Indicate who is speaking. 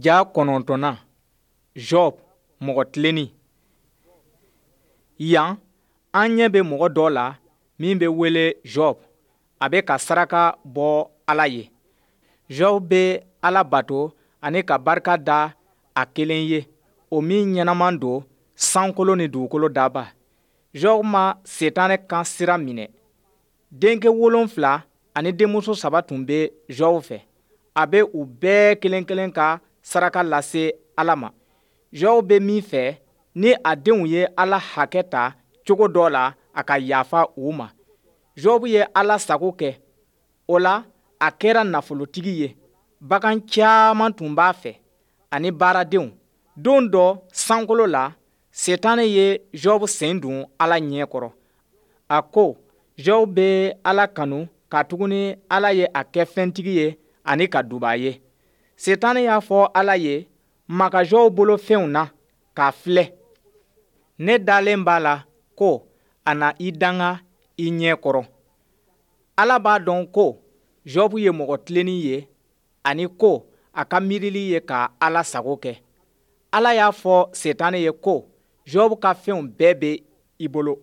Speaker 1: Ja kɔnɔntɔnnan, Job, mɔgɔ tilennen. Yan, an ɲɛ bɛ mɔgɔ dɔ la min bɛ wele Job. A bɛ ka saraka bɔ Ala ye. Job bɛ Ala bato ani ka barika da a kelen ye, o min ɲɛnama don, sankolo ni dugukolo daba. Job ma Setanɛ kan sira minɛ. Denkɛ wolonfila ani denmuso saba tun bɛ Job fɛ. A bɛ u bɛɛ kelen-kelen ka saraka lase Ala ma. Job bɛ min fɛ, ni a denw ye Ala hakɛ ta cogo dɔ la, a ka yafa u ma. Job ye Ala sago kɛ. O la, a kɛra nafolotigi ye. Bagan caman tun b'a fɛ ani baaradenw. Don dɔ sankolo la, Setanɛ ye Job sen don Ala ɲɛ kɔrɔ. A ko Job bɛ Ala kanu katuguni Ala ye a kɛ fɛntigi ye ani ka duba a ye. Setanɛ y'a fɔ Ala ye, Maga Job bolo fɛnw na k'a filɛ. Ne dalen b'a la ko a na i danga i ɲɛ kɔrɔ. Ala b'a dɔn ko Job ye mɔgɔ tilennen ye ani ko a ka miirili ye ka Ala sago kɛ. Ala y'a fɔ Setanɛ ye ko Job ka fɛnw bɛɛ bɛ i bolo.